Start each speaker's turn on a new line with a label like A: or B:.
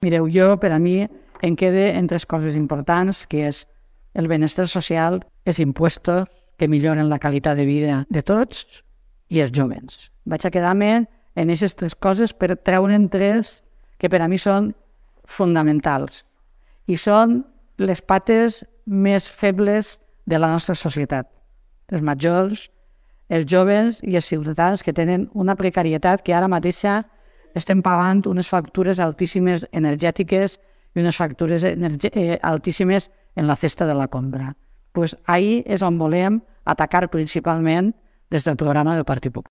A: Mireu, per a mi, em queda en 3 coses importants, que és el benestar social, els impuestos que milloren la qualitat de vida de tots i els jóvens. Vaig a quedar-me en aquestes 3 coses per treure'n 3 que per a mi són fonamentals i són les pates més febles de la nostra societat. Els majors, els joves i els ciutadans que tenen una precarietat que ara mateixa estem pagant unes factures altíssimes energètiques i unes factures altíssimes en la cesta de la compra. Ahí és on volem atacar principalment des del programa del Partit Popular.